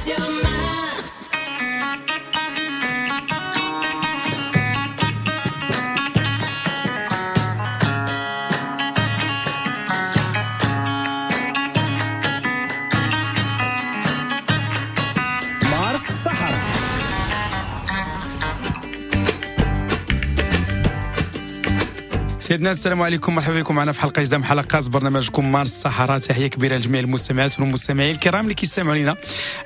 Radio Mars. مارس الصحراء. سيدنا السلام عليكم، مرحبا بكم معنا في حلقة جديدة من حلقات برنامجكم مارس الصحراء. تحية كبيرة لجميع المستمعات والمستمعين الكرام اللي كيستمعوا لنا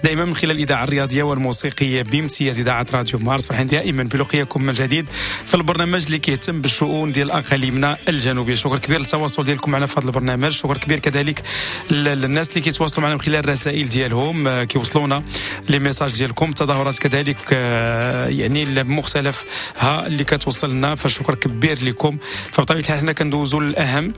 دائما من خلال الاذاعة الرياضية والموسيقيه بامتياز اذاعة راديو مارس. فرحين دائما بلقياكم من جديد في البرنامج اللي كيهتم بالشؤون ديال اقاليمنا الجنوبية. شكر كبير للتواصل ديالكم معنا في هذا البرنامج، شكر كبير كذلك للناس اللي كيتواصلوا معنا من خلال الرسائل ديالهم، كيوصلونا les messages ديالكم، تظاهرات كذلك يعني مختلفها اللي كتوصلنا، فشكر كبير لكم. فبطبيعة الحال حنا كندوزو للأهم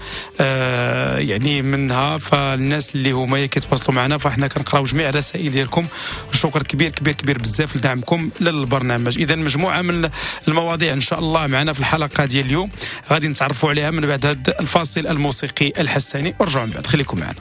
يعني منها، فالناس اللي هما كيتواصلوا معنا فاحنا كنقراو جميع الرسائل ديالكم. شكر كبير كبير كبير بزاف لدعمكم للبرنامج. اذا مجموعة من المواضيع ان شاء الله معنا في الحلقة ديال اليوم غادي نتعرفوا عليها من بعد هذا الفاصل الموسيقي الحساني، ورجعوا من بعد، خليكم معنا.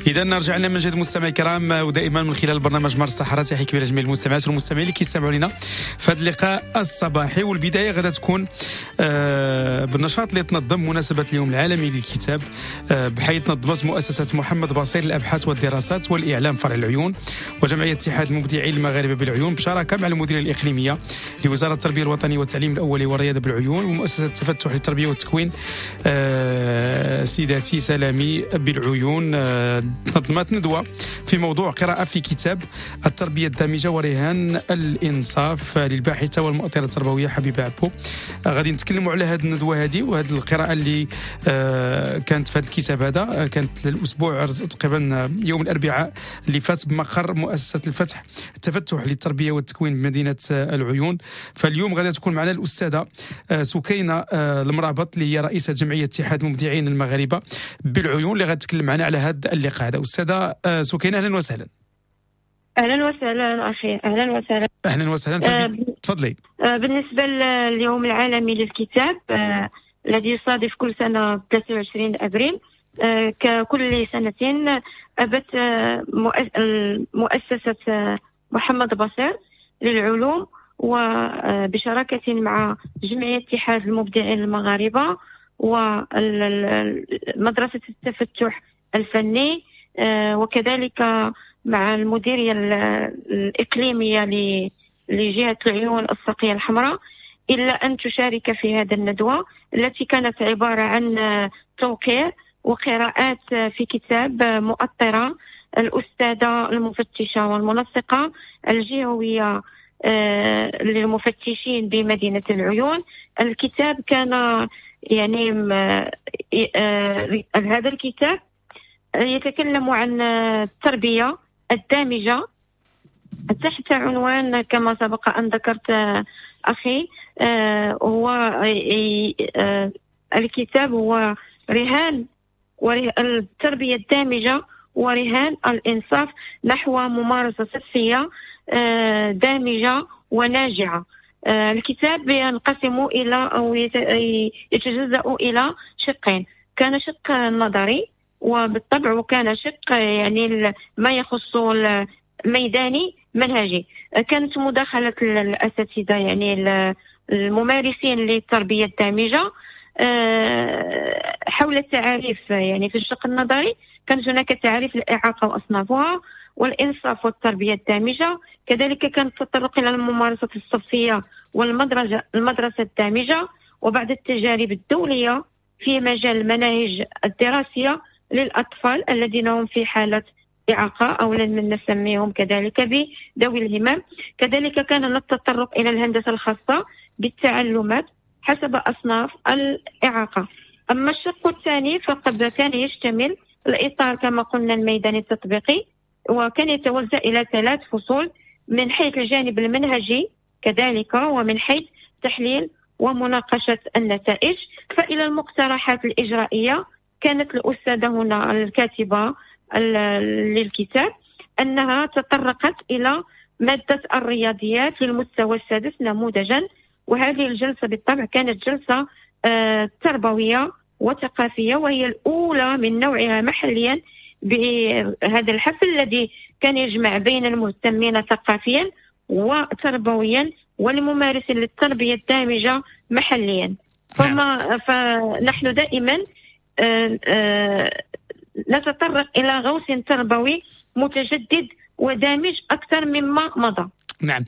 اذا رجعنا من جديد مستمعي الكرام، ودائما من خلال برنامج مارس الصحراء. تحية كبيرة لجميع المستمعات والمستمعين اللي كيستمعوا لنا في هذا اللقاء الصباحي. والبداية غادا تكون بالنشاط اللي تنظم مناسبة اليوم العالمي للكتاب، بحيث نظمت مؤسسة محمد بصير للابحاث والدراسات والاعلام فرع العيون وجمعية اتحاد المبدعين المغاربة بالعيون بشراكه مع المديرية الاقليمية لوزارة التربية الوطنية والتعليم الاولي والرياضة بالعيون ومؤسسة التفتح للتربية والتكوين سيداتي سلامي بالعيون. نظمت ندوة في موضوع قراءة في كتاب التربية الدامجة ورهان الإنصاف للباحثة والمؤطرة التربوية حبيبة عبو. غادي نتكلموا على هذه الندوة هذه وهذه القراءة اللي كانت في هذا الكتاب هذا، كانت الأسبوع تقريبا يوم الأربعاء اللي فات بمقر مؤسسة التفتح للتربية والتكوين بمدينة العيون. فاليوم غادي تكون معنا الأستاذة سكينة المرابط اللي هي رئيسة جمعية اتحاد المبدعين المغاربة بالعيون، اللي غتكلم معنا على هذا اللقاء هذا. أستاذة سكينة أهلا وسهلا. أهلا وسهلا أخي، أهلا وسهلا. أهلا وسهلا، تفضلي. بالنسبة لليوم العالمي للكتاب الذي يصادف كل سنة 23 أبريل، ككل سنة أبت مؤسسة محمد بصير للعلوم وبشراكة مع جمعية اتحاد المبدعين المغاربة ومدرسة التفتح الفني، وكذلك مع المديرية الإقليمية لجهة العيون الساقية الحمراء، إلا أن تشارك في هذا الندوة التي كانت عبارة عن توقيع وقراءات في كتاب مؤطرة الأستاذة المفتشة والمنسقة الجهوية للمفتشين بمدينة العيون. الكتاب كان يعني هذا الكتاب يتكلم عن التربية الدامجة تحت عنوان كما سبق أن ذكرت أخي، هو الكتاب هو رهان التربية الدامجة ورهان الإنصاف نحو ممارسة صحية دامجة وناجعة. الكتاب ينقسم إلى أو يتجزأ إلى شقين، كان شق نظري وبالطبع وكان شق يعني ما يخص الميداني منهجي. كانت مداخلة الأساتذة يعني الممارسين للتربية الدامجة حول التعاريف. يعني في الشق النظري كانت هناك تعاريف الإعاقة وأصنافها والإنصاف والتربية الدامجة، كذلك كان التطرق إلى الممارسة الصفية والمدرسة الدامجة وبعض التجارب الدولية في مجال المناهج الدراسية للأطفال الذين هم في حالة إعاقة أو من نسميهم كذلك بذوي الهمم. كذلك كان التطرق إلى الهندسة الخاصة بالتعلمات حسب أصناف الإعاقة. أما الشق الثاني فقد كان يشتمل الإطار كما قلنا الميداني التطبيقي، وكان يتوزع إلى 3 فصول من حيث الجانب المنهجي كذلك، ومن حيث تحليل ومناقشة النتائج. فإلى المقترحات الإجرائية كانت الأستاذة هنا الكاتبة للكتاب أنها تطرقت إلى مادة الرياضيات للمستوى السادس نموذجا، وهذه الجلسة بالطبع كانت جلسة تربوية وثقافية، وهي الأولى من نوعها محليا بهذا الحفل الذي كان يجمع بين المهتمين ثقافيا وتربويا والممارسين للتربية الدامجة محليا. فنحن دائما نتطرق إلى غوص تربوي متجدد ودامج أكثر مما مضى. نعم،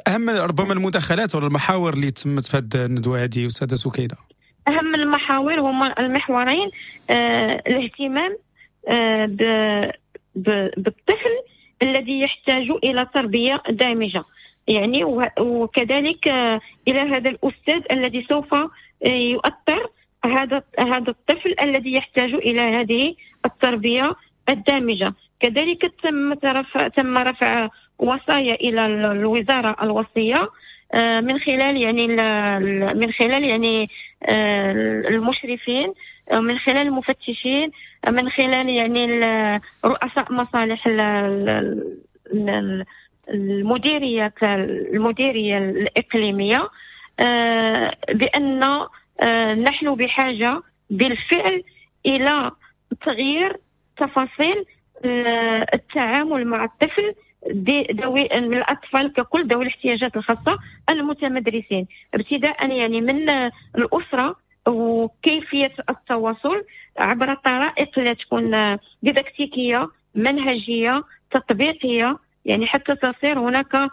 أهم ربما المداخلات ولا المحاور اللي تمت في هذه الندوة هذه أستاذة سكينة؟ أهم المحاور هما المحورين، الاهتمام بالطفل الذي يحتاج إلى تربية دامجة، يعني وكذلك إلى هذا الأستاذ الذي سوف يؤطر هذا الطفل الذي يحتاج إلى هذه التربية الدامجة. كذلك تم رفع وصايا إلى الوزارة الوصية من خلال يعني المشرفين، من خلال المفتشين، من خلال يعني رؤساء مصالح المديرية الإقليمية، بأن نحن بحاجة بالفعل إلى تغيير تفاصيل التعامل مع الطفل ذوي الاطفال ككل ذوي الاحتياجات الخاصة المتمدرسين، ابتداء يعني من الاسرة وكيفية التواصل عبر طرائق اللي تكون ديداكتيكيه، منهجيه، تطبيقية، يعني حتى تصير هناك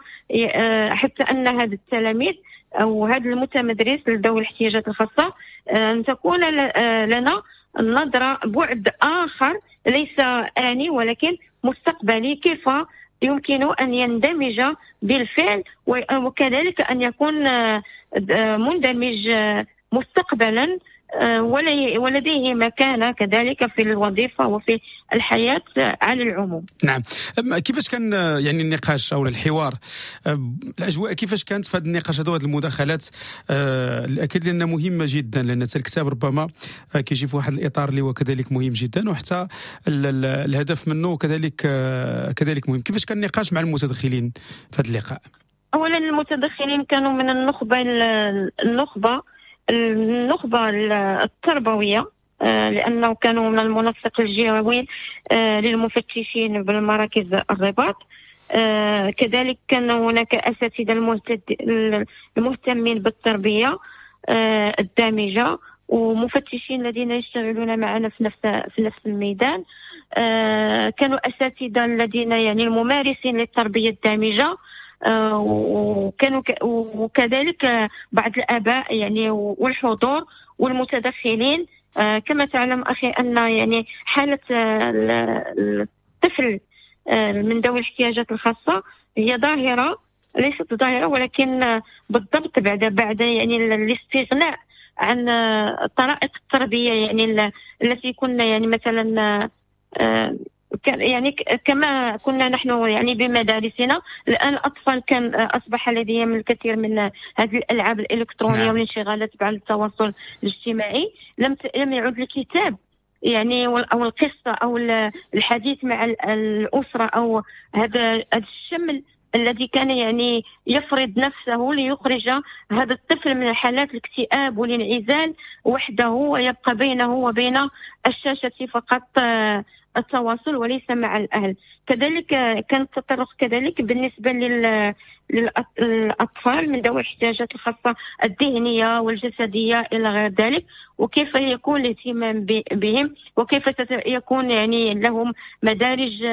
حتى ان هذا التلاميذ او هذا المتمدرس لذوي الاحتياجات الخاصة ان تكون لنا نظره بعد اخر ليس اني ولكن مستقبلي، كيف يمكن ان يندمج بالفعل وكذلك ان يكون مندمج مستقبلا ولديه مكانة كذلك في الوظيفة وفي الحياة على العموم. نعم، كيفاش كان يعني النقاش أو الحوار، الأجواء كيفاش كانت في هذا النقاش هذا وهذه المداخلات؟ الأكيد لأنها مهمة جدا، لأن الكتاب ربما كيجي في واحد الإطار اللي هو كذلك مهم جدا، وحتى الهدف منه كذلك مهم. كيفاش كان النقاش مع المتدخلين في هذا اللقاء؟ أولا المتدخلين كانوا من النخبة التربوية، لأنه كانوا من المنسق الجهوي للمفتشين بالمراكز الرباط. كذلك كان هناك أساتذة المهتمين بالتربية الدامجة ومفتشين الذين يشتغلون معنا في نفس الميدان. كانوا أساتذة الذين يعني الممارسين للتربية الدامجة، وكانوا وكذلك بعض الآباء يعني والحضور والمتدخلين. كما تعلم أخي أن يعني حالة الطفل من ذوي الاحتياجات الخاصة هي ظاهرة، ليست ظاهرة ولكن بالضبط بعد يعني الاستغناء عن طرائق التربية يعني التي كنا يعني مثلا يعني كما كنا نحن يعني بمدارسنا. الآن الأطفال كان أصبح لديهم الكثير من هذه الألعاب الإلكترونية. نعم. والانشغالات بعد التواصل الاجتماعي، لم يعد الكتاب يعني أو القصة أو الحديث مع الأسرة أو هذا الشمل الذي كان يعني يفرض نفسه ليخرج هذا الطفل من حالات الاكتئاب والانعزال وحده، ويبقى بينه وبين الشاشة فقط التواصل وليس مع الأهل. كذلك كان التطرق كذلك بالنسبة للأطفال من ذوي الاحتياجات الخاصة الذهنية والجسدية إلى غير ذلك، وكيف يكون الاهتمام بهم، وكيف يكون يعني لهم مدارج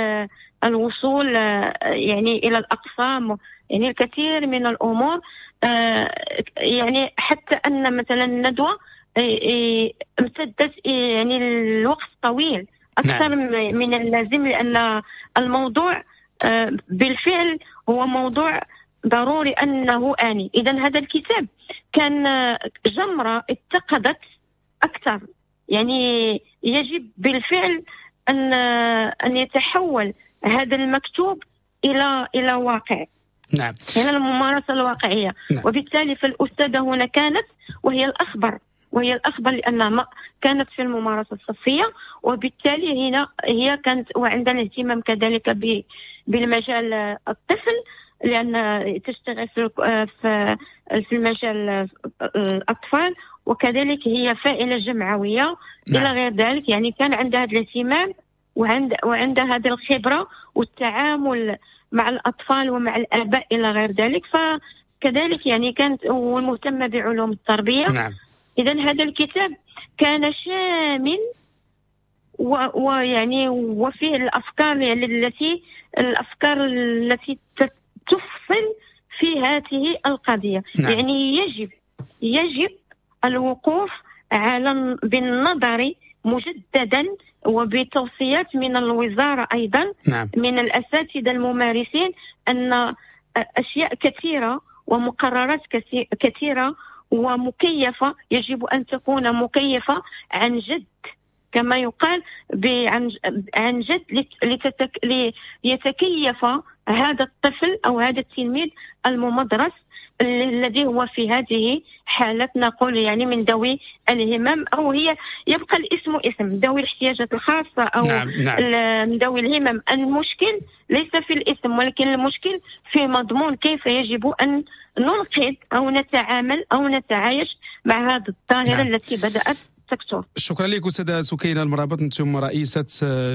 الوصول يعني إلى الأقسام، يعني الكثير من الأمور. يعني حتى أن مثلا الندوة امتدت يعني الوقت طويل أكثر. نعم. من اللازم، لأن الموضوع بالفعل هو موضوع ضروري أنه آني. إذن هذا الكتاب كان جمرة اتقدت أكثر، يعني يجب بالفعل أن يتحول هذا المكتوب إلى واقع. نعم. إلى الممارسة الواقعية. نعم. وبالتالي فالأستاذة هنا كانت وهي الأخبر لأنها ما كانت في الممارسة الصفية، وبالتالي هنا هي كانت وعندنا اهتمام كذلك بالمجال الطفل، لأن تشتغل في المجال الأطفال، وكذلك هي فاعلة جمعوية. نعم. إلى غير ذلك، يعني كان عندها هذا الاهتمام وعندها هذه الخبرة والتعامل مع الأطفال ومع الآباء إلى غير ذلك. فكذلك يعني كانت ومهتمة بعلوم التربية. نعم. إذن هذا الكتاب كان شامل ويعني وفيه الأفكار يعني التي تفصل في هذه القضية. نعم. يعني يجب الوقوف على بالنظر مجددا وبتوصيات من الوزارة أيضا. نعم. من الأساتذة الممارسين أن أشياء كثيرة ومقررات كثيرة ومكيفة يجب أن تكون مكيفة عن جد، كما يقال عن جد، ليتكيف هذا الطفل أو هذا التلميذ الممدرس الذي هو في هذه حالة نقول يعني من ذوي الهمم، أو هي يبقى الاسم اسم ذوي الاحتياجات الخاصة أو نعم. نعم. من ذوي الهمم. المشكل ليس في الاسم، ولكن المشكل في مضمون كيف يجب أن ننقذ أو نتعامل أو نتعايش مع هذه الظاهرة. نعم. التي بدأت ال secteur. شكرا لك استاذه سكينة المرابط، انتم رئيسه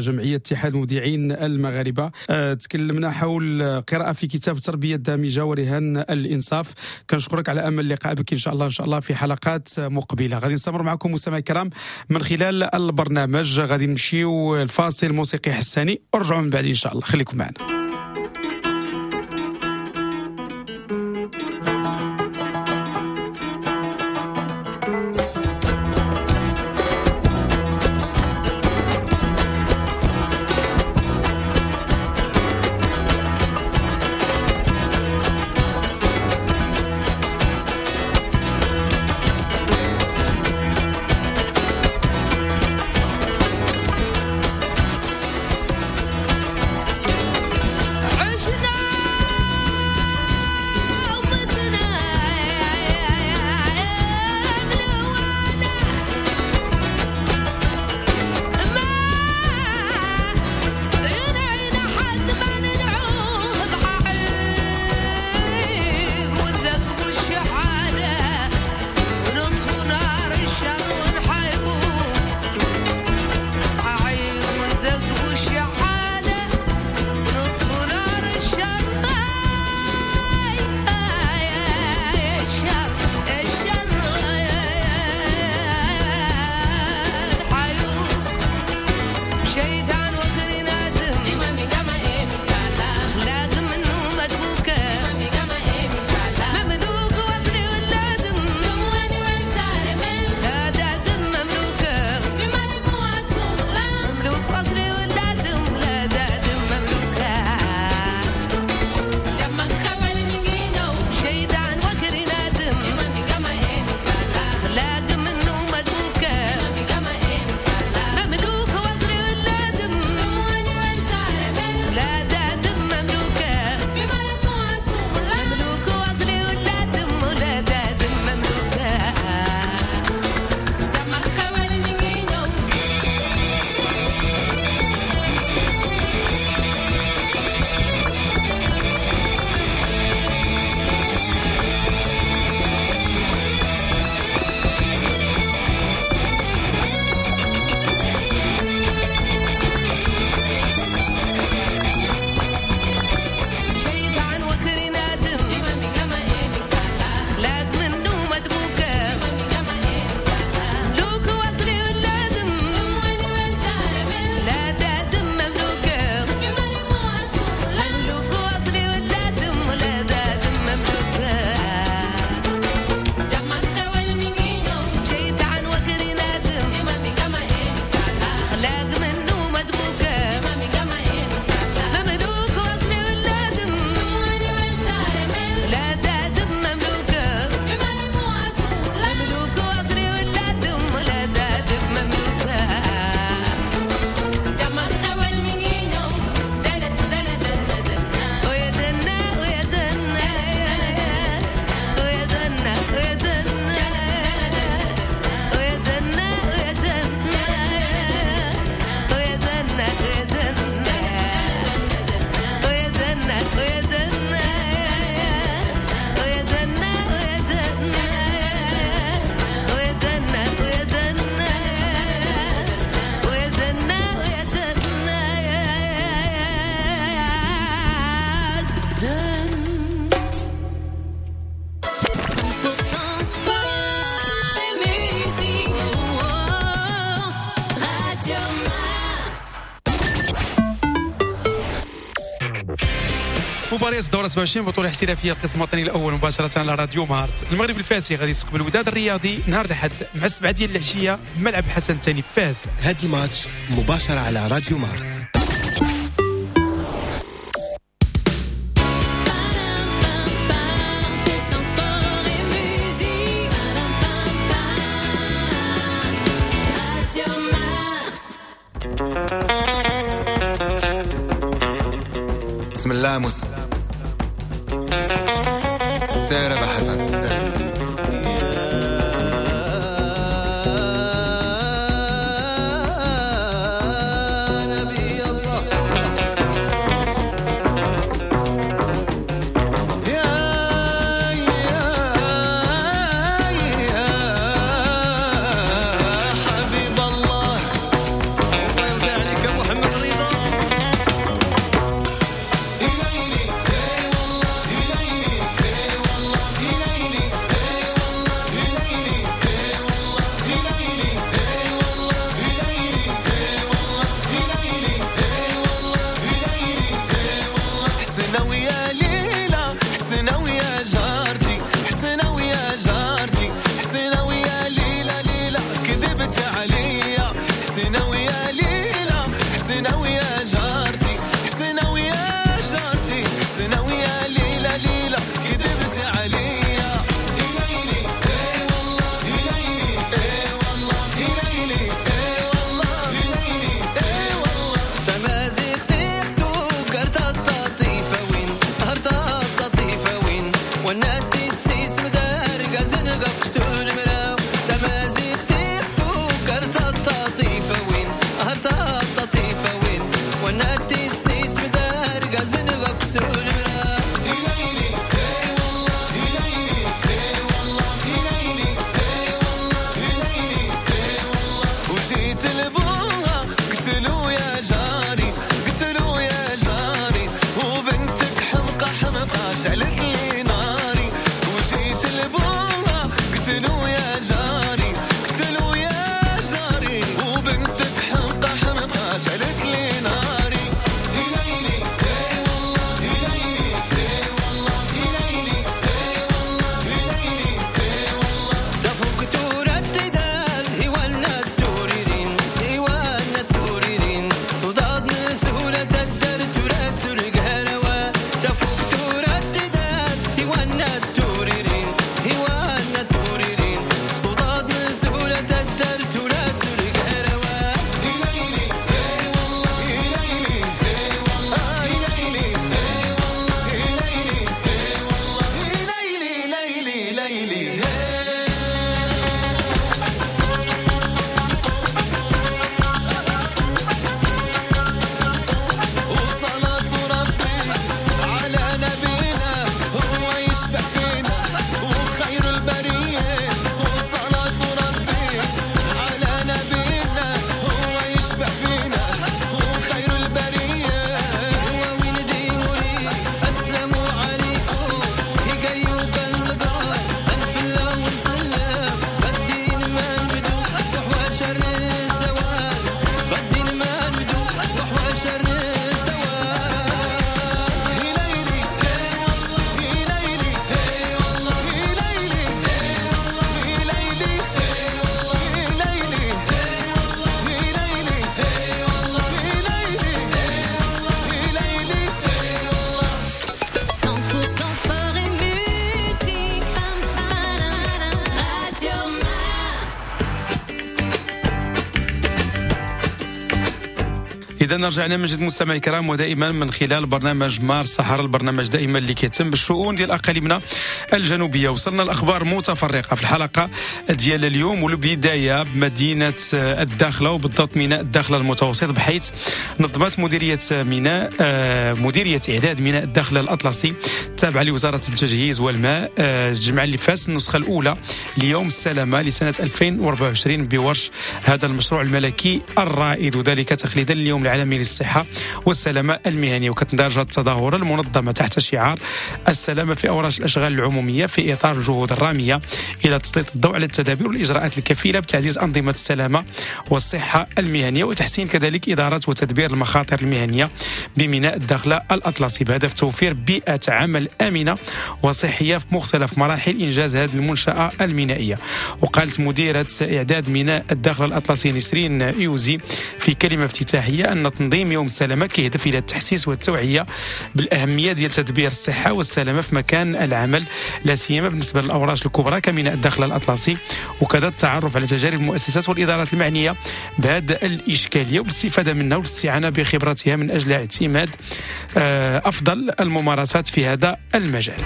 جمعية اتحاد المبدعين المغاربة. تكلمنا حول قراءة في كتاب التربية الدامجه ورهان الانصاف. كنشكرك على امل اللقاء بك ان شاء الله، ان شاء الله في حلقات مقبله. غادي نستمر معكم مستمعي الكرام من خلال البرنامج. غادي نمشيو الفاصل موسيقي حساني ورجعوا من بعد ان شاء الله، خليكم معنا. مباريات الدورة 27 بطولة احترافية القسم الوطني الأول مباشرة على راديو مارس. المغرب الفاسي غادي يستقبل الوداد الرياضي نهار الأحد مع 7 ديال العشية ملعب حسن الثاني فاس. هذا الماتش مباشرة على راديو مارس. بسم الله موسى سير أبا حسن سير. يا حسنة ويا جارتي، حسنة ويا جارتي، حسنة ويا ليلى ليلى كذبت عليا. ليلي اي والله ليلي اي والله ليلي اي والله ليلي اي والله. تمازيغ تختو كرتا التطيفة وين هرتا التطيفة وين ونادي السيس مدار قازن قبسون مراو. تمازيغ تختو كرتا التطيفة وين هرتا التطيفة وين ونادي السيس مدار قازن قبسون مراو. ليلي اي والله ليلي اي والله ليلي اي والله ليلي اي والله. وجيت لبوها قتلو يا جاري، قتلو يا جاري، وبنتك حمقى حمقى شعلت لي ناري. وجيت لبوها قتلو يا جاري، قتلو يا جاري، وبنتك حمقى حمقى شعلت لي ناري. ليلي اي والله ليلي اي والله ليلي اي والله ليلي اي والله. تفوق ترددان هوانا التوريرين هوانا التوريرين تضاد سهولة الدر تراسل القهروة. تفوق ترددان هوانا التوريرين هوانا التوريرين صداد سهولة الدر تراسل القهروة. ليلي اي والله ليلي اي والله ليلي اي والله ليلي اي والله ليلي ليلي ليلي. وصلاة ربي على نبينا هو يشفع فينا وخير البرية. وصلاة ربي على نبينا هو يشفع فينا وخير البرية. هو وين ديموري السلام عليكم يقيوك القار انفلا ونسلم فالدين ما نبدو وحواشر الزوال فالدين ما نبدو وحواشر الزوال. ليلي اي والله ليلي اي والله ليلي اي والله ليلي اي والله ليلي اي والله ليلي اي والله ليلي اي والله ليلي اي والله. 100% sport et musique. Radio Mars. إذا رجعنا من جديد مستمعي الكرام، ودائما من خلال برنامج مارس صحراء، البرنامج دائما اللي كيهتم بالشؤون ديال أقاليمنا الجنوبية. وصلنا الأخبار متفرقة في الحلقة ديال اليوم، والبداية بمدينة الداخلة وبالضبط ميناء الداخلة المتوسط، بحيث نظمت مديرية ميناء مديرية إعداد ميناء الداخلة الأطلسي التابعة لوزارة التجهيز والماء الجمعة اللي فات النسخة الأولى ليوم السلامة لسنة 2024 بورش هذا المشروع الملكي الرائد، وذلك تخليدا لليوم العالمي للصحة والسلامة المهنية. وكتندرج التظاهرة المنظمة تحت شعار السلامة في أوراش الأشغال العمومية في إطار الجهود الرامية إلى تسليط الضوء على التدابير والإجراءات الكفيلة بتعزيز أنظمة السلامة والصحة المهنية، وتحسين كذلك إدارة وتدبير المخاطر المهنية بميناء الداخلة الأطلسي، بهدف توفير بيئة عمل آمنة وصحية في مختلف مراحل إنجاز هذه المنشأة المينائية. وقالت مديرة إعداد ميناء الداخلة الأطلسي نسرين إيوزي في كلمة افتتاحية أن تنظيم يوم السلامة كيهدف إلى التحسيس والتوعية بالأهمية ديال تدبير الصحة والسلامة في مكان العمل، لا سيما بالنسبة للأوراش الكبرى كميناء الداخلة الأطلسي، وكذا التعرف على تجارب المؤسسات والإدارات المعنية بهذا الإشكالية والاستفادة منها والاستعانة بخبرتها من أجل اعتماد أفضل الممارسات في هذا المجال.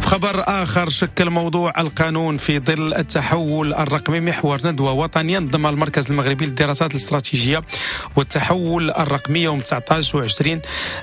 خبر آخر، شكل موضوع القانون في ظل التحول الرقمي محور ندوة وطنية نظمها المركز المغربي للدراسات الاستراتيجية والتحول الرقمي يوم 19 و20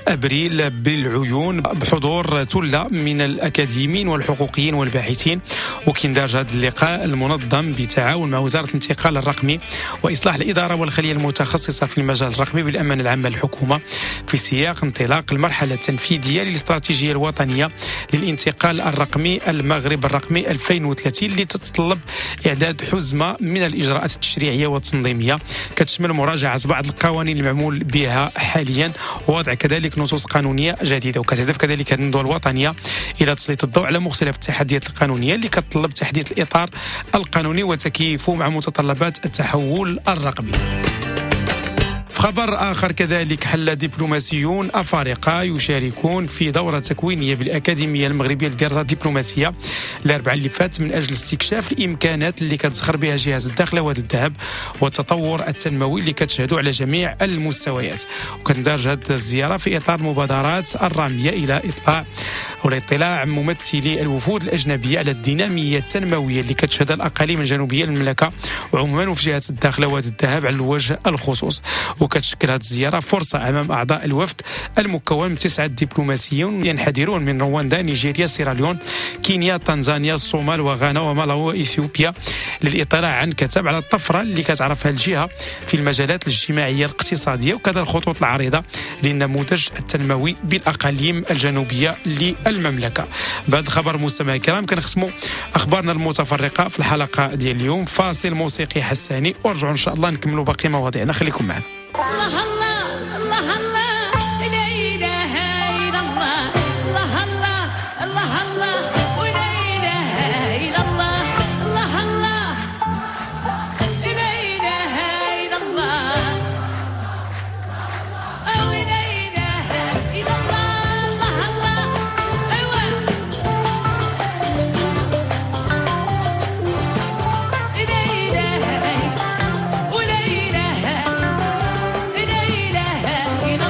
أبريل بالعيون، بحضور ثلة من الأكاديميين والحقوقيين والباحثين. وكيندرج هذا اللقاء المنظم بتعاون مع وزارة الانتقال الرقمي وإصلاح الإدارة والخلية المتخصصة في المجال الرقمي بالأمانة العامة للحكومة، في سياق انطلاق المرحلة التنفيذية للاستراتيجية الوطنية للانتقال الرقمي المغرب الرقمي 2030، اللي تتطلب إعداد حزمة من الإجراءات التشريعية والتنظيمية كتشمل مراجعة بعض القوانين المعمول بها حاليا ووضع كذلك نصوص قانونية جديدة. وكتهدف كذلك هذه الندوة الوطنية إلى تسليط الضوء على مختلف التحديات القانونية اللي كتطلب تحديث الإطار القانوني وتكييفه مع متطلبات التحول الرقمي. خبر آخر كذلك، حل دبلوماسيون أفارقة يشاركون في دورة تكوينية بالأكاديمية المغربية للدراسات الدبلوماسية الأربعاء اللي فات من أجل استكشاف الإمكانات اللي كتزخر بها جهاز الداخلة وادي الذهب والتطور التنموي اللي كتشهدوا على جميع المستويات. وكتندرج هذه الزيارة في إطار المبادرات الرامية إلى إطلاع أو اطلاع ممثلي الوفود الأجنبية على الدينامية التنموية اللي كتشهدها الأقاليم الجنوبية للمملكة وعموما وفي جهة الداخلة وادي الذهب على الوجه الخصوص. وكتشكل هذه الزيارة فرصة أمام أعضاء الوفد المكون من 9 دبلوماسيون ينحدرون من رواندا، نيجيريا، سيراليون، كينيا، تنزانيا، الصومال وغانا ومالاوي وإثيوبيا للإطلاع عن كتاب على الطفرة اللي كتعرفها الجهة في المجالات الاجتماعية الاقتصادية وكذا الخطوط العريضة للنموذج التنموي بالأقاليم الجنوبية للمملكة. بهذا الخبر مستمعي الكرام كنختموا أخبارنا المتفرقة في الحلقة ديال اليوم. فاصل موسيقي حساني ورجعوا إن شاء الله نكملوا باقي مواضيعنا، خليكم معنا. الله الله الله الله لا إله إلا الله، الله الله الله الله ولا إله إلا الله، الله الله لا إله إلا الله، ولا إله إلا الله، الله الله أيوة لا إله ولا إله لا إله إلا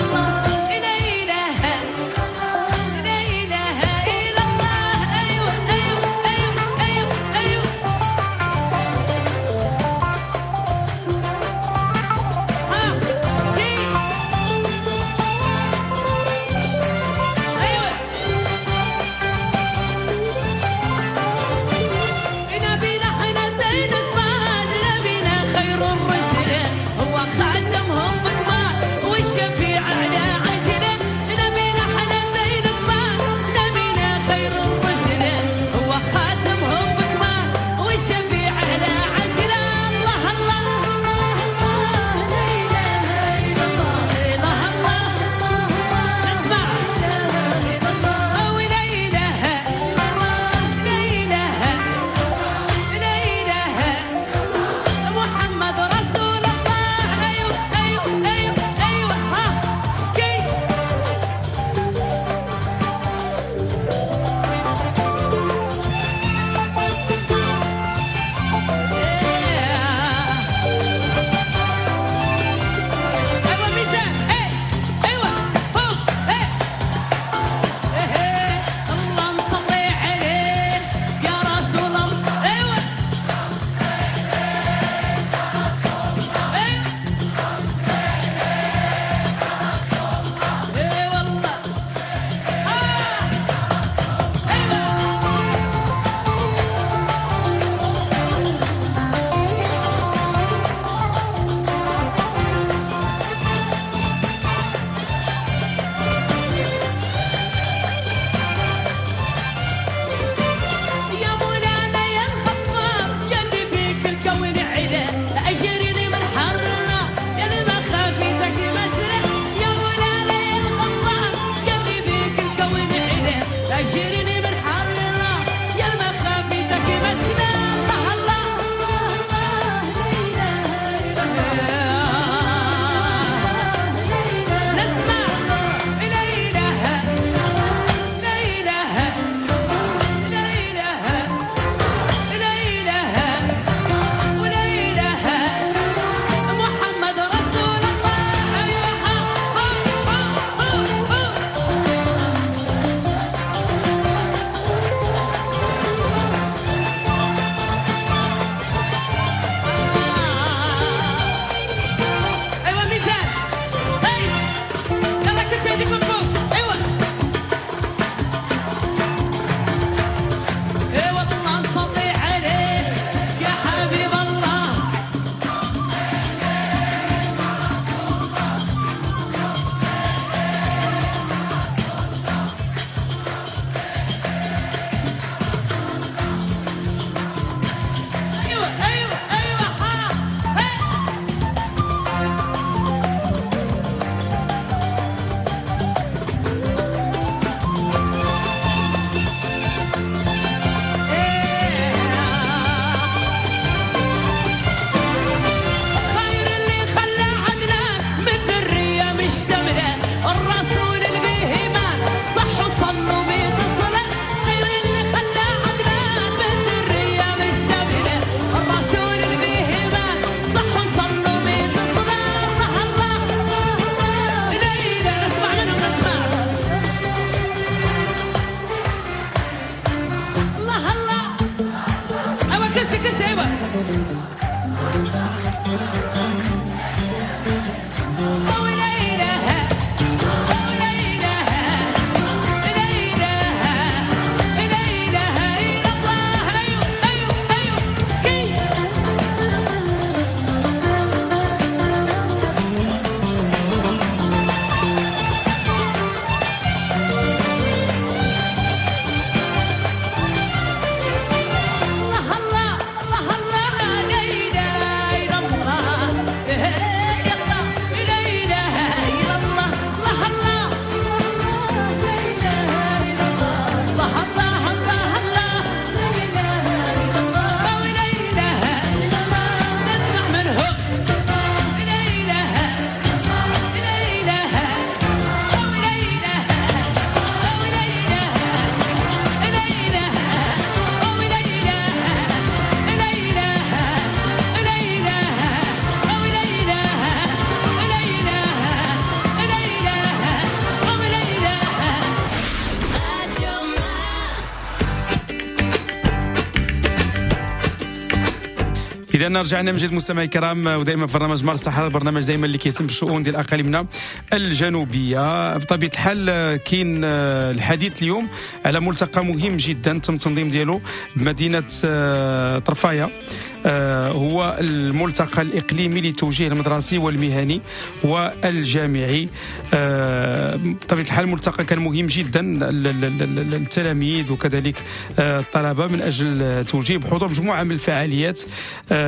اذا رجعنا من جديد مستمعي الكرام، ودائما في برنامج مارس الصحراء، البرنامج دائما اللي كيهتم بالشؤون ديال اقاليمنا الجنوبية. بطبيعة الحال كاين الحديث اليوم على ملتقى مهم جدا تم التنظيم ديالو بمدينة طرفايه، هو الملتقى الاقليمي للتوجيه المدرسي والمهني والجامعي. بطبيعة الحال الملتقى كان مهم جدا للتلاميذ وكذلك الطلبة من اجل توجيه بحضور مجموعة من الفعاليات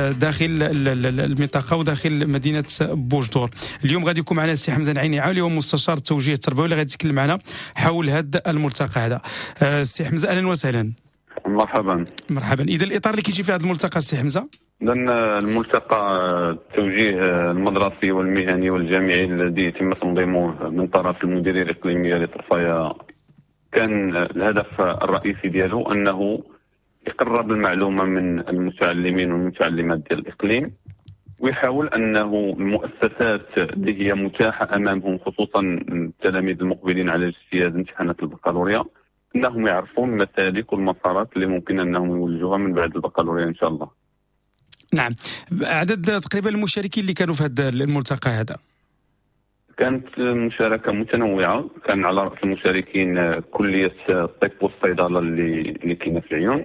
داخل المنطقة وداخل مدينة بوجدور. اليوم غادي يكون معنا السي حمزة العيني عالي، هو مستشار التوجيه التربوي اللي غادي يتكلم معنا حول هذا الملتقى هذا. السي حمزة اهلا وسهلا. مرحبا. مرحبا. اذا الاطار اللي كيجي في هذا الملتقى السي حمزة؟ اذا الملتقى التوجيه المدرسي والمهني والجامعي الذي تم تنظيمه من طرف المديرية الاقليمية لطرفايه، كان الهدف الرئيسي ديالو انه يقرب المعلومة من المتعلمين والمتعلمات ديال الاقليم، ويحاول انه المؤسسات اللي هي متاحة امامهم خصوصا التلاميذ المقبلين على اجتياز امتحانات البكالوريا انهم يعرفون المسالك والمسارات اللي ممكن انهم يولجوها من بعد البكالوريا ان شاء الله. نعم، عدد تقريبا المشاركين اللي كانوا في هذا الملتقى هذا؟ كانت مشاركة متنوعة، كان على راس المشاركين كليه الطب والصيدله اللي كاينه في العيون،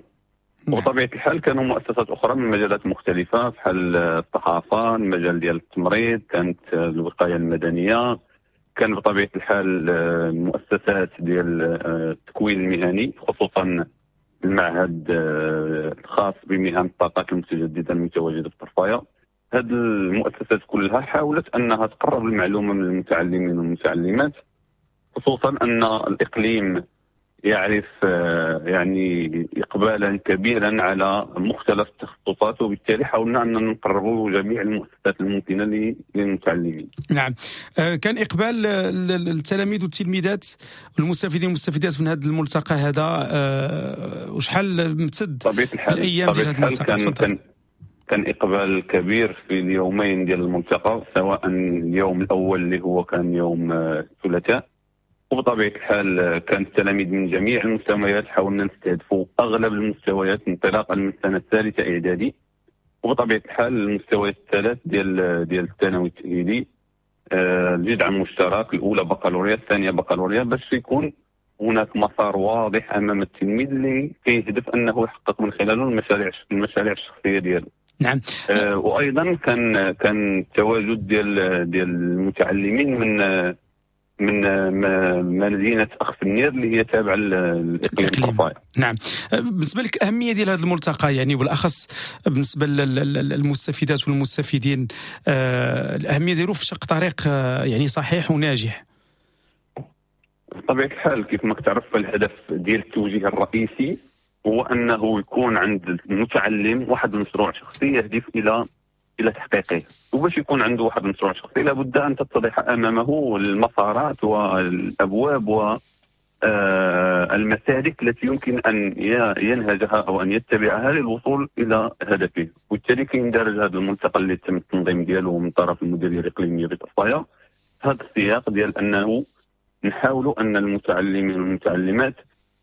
وبطبيعة الحال كانوا مؤسسات اخرى من مجالات مختلفة بحال الصحافة، المجال ديال التمريض، كانت الوقاية المدنية، كان بطبيعة الحال المؤسسات ديال التكوين المهني خصوصا المعهد الخاص بمهن الطاقات المتجددة المتواجدة في طرفايه. هذه المؤسسات كلها حاولت انها تقرب المعلومة من المتعلمين والمتعلمات، خصوصا ان الاقليم يعرف يعني اقبالا كبيرا على مختلف التخصصات، وبالتالي حاولنا ان نقربوا جميع المؤسسات الممكنة للمتعلمين. نعم، كان اقبال التلاميذ والتلميذات والمستفيدين والمستفيدات من هذا الملتقى هذا، وشحال امتد الايام ديال هذا الملتقى؟ كان اقبال كبير في اليومين ديال الملتقى، سواء اليوم الاول اللي هو كان يوم الثلاثاء، وبطبيعة الحال كان التلاميذ من جميع المستويات، حاولنا نستهدفوا اغلب المستويات انطلاقا من السنة الثالثة اعدادي، وبطبيعة الحال المستويات الثلاث ديال الثانوي التاهيلي، الجدع المشترك، الاولى بكالوريا، الثانية بكالوريا، باش يكون هناك مسار واضح امام التلميذ اللي كيهدف انه يحقق من خلاله المشاريع الشخصية ديالو. نعم. وايضا كان التواجد ديال المتعلمين من مدينة اخفنير اللي هي تابعه للاقليم طرفايه. نعم. بالنسبة لك اهمية ديال هذا الملتقى، يعني بالاخص بالنسبة للمستفيدات والمستفيدين، الاهمية ديالو في شق طريق يعني صحيح وناجح؟ بطبيعة الحال كيف ما كتعرف الهدف ديال التوجيه الرئيسي هو انه يكون عند المتعلم واحد المشروع شخصي يهدف الى تحقيقه، وباش يكون عنده واحد المشروع شخصي لابد ان تتضح امامه المسارات والابواب والمسالك التي يمكن ان ينهجها او ان يتبعها للوصول الى هدفه. وبالتالي كيندرج هذا الملتقى اللي تم التنظيم ديالو من طرف المديرية الاقليمية بطرفايه هذا السياق ديال انه نحاولوا ان المتعلمين والمتعلمات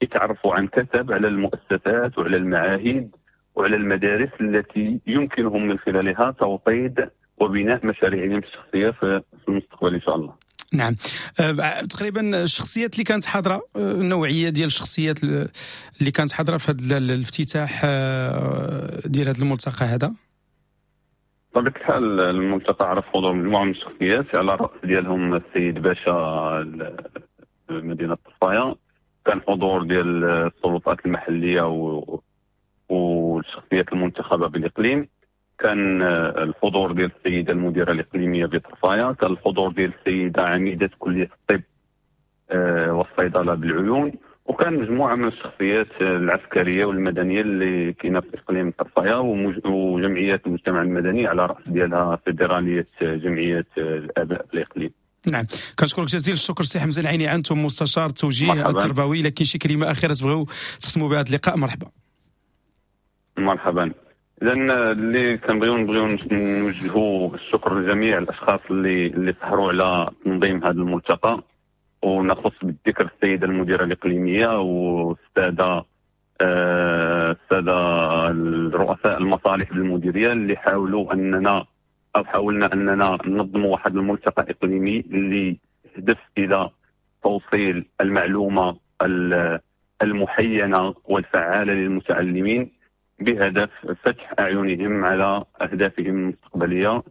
يتعرفوا عن كثب على المؤسسات وعلى المعاهد وعلى المدارس التي يمكنهم من خلالها توطيد وبناء مشاريعهم الشخصية في المستقبل إن شاء الله. نعم. تقريبا الشخصيات اللي كانت حاضرة، النوعية ديال الشخصيات اللي كانت حاضرة في هذا الافتتاح ديال هذا الملتقى هذا؟ بطبيعة الحال الملتقى عرف حضور مجموعة من الشخصيات، على رأس ديالهم السيد باشا مدينة طرفاية، كان حضور ديال السلطات المحلية والشخصيات المنتخبة بالإقليم، كان الحضور ديال السيدة المديرة الإقليمية بطرفاية، كان الحضور ديال السيدة عميدة كلية الطب والصيدلة بالعيون، وكان مجموعة من الشخصيات العسكرية والمدنية اللي كاينة في إقليم طرفاية، وجمعيات المجتمع المدني على رأس ديالها فيدرالية جمعيات الآباء في الإقليم. نعم، كنشكرك جزيل الشكر سي حمزة العيني، أنتم مستشار التوجيه التربوي. لكن شي كلمة أخيرة تبغيو تختموا بهذا اللقاء؟ مرحبا. مرحبا. اذا اللي كنبغيو نوجهوا الشكر لجميع الاشخاص اللي سهروا على تنظيم هذا الملتقى، ونخص بالذكر السيدة المديرة الاقليمية والسادة السادة الرؤساء المصالح بالمديريه اللي حاولوا اننا او حاولنا اننا ننظموا واحد الملتقى اقليمي اللي يهدف الى توصيل المعلومة المحينه والفعاله للمتعلمين بهدف فتح اعينهم على اهدافهم المستقبلية.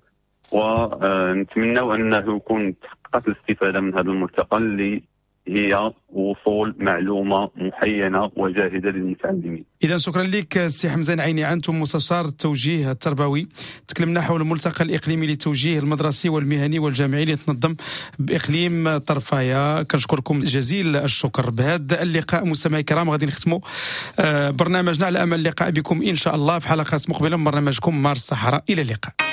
ونتمنى انه يكون تحققت الاستفادة من هذا الملتقى اللي هي وصول معلومة محينه وجاهده للمتعلمين. اذا شكرا لك سي حمزة نعيني، انتم مستشار التوجيه التربوي. تكلمنا حول الملتقى الاقليمي للتوجيه المدرسي والمهني والجامعي اللي تنظم باقليم طرفايه. كنشكركم جزيل الشكر. بهذا اللقاء مستمعي الكرام غادي نختموا برنامجنا، على امل اللقاء بكم ان شاء الله في حلقات مقبله من برنامجكم مارس الصحراء. الى اللقاء.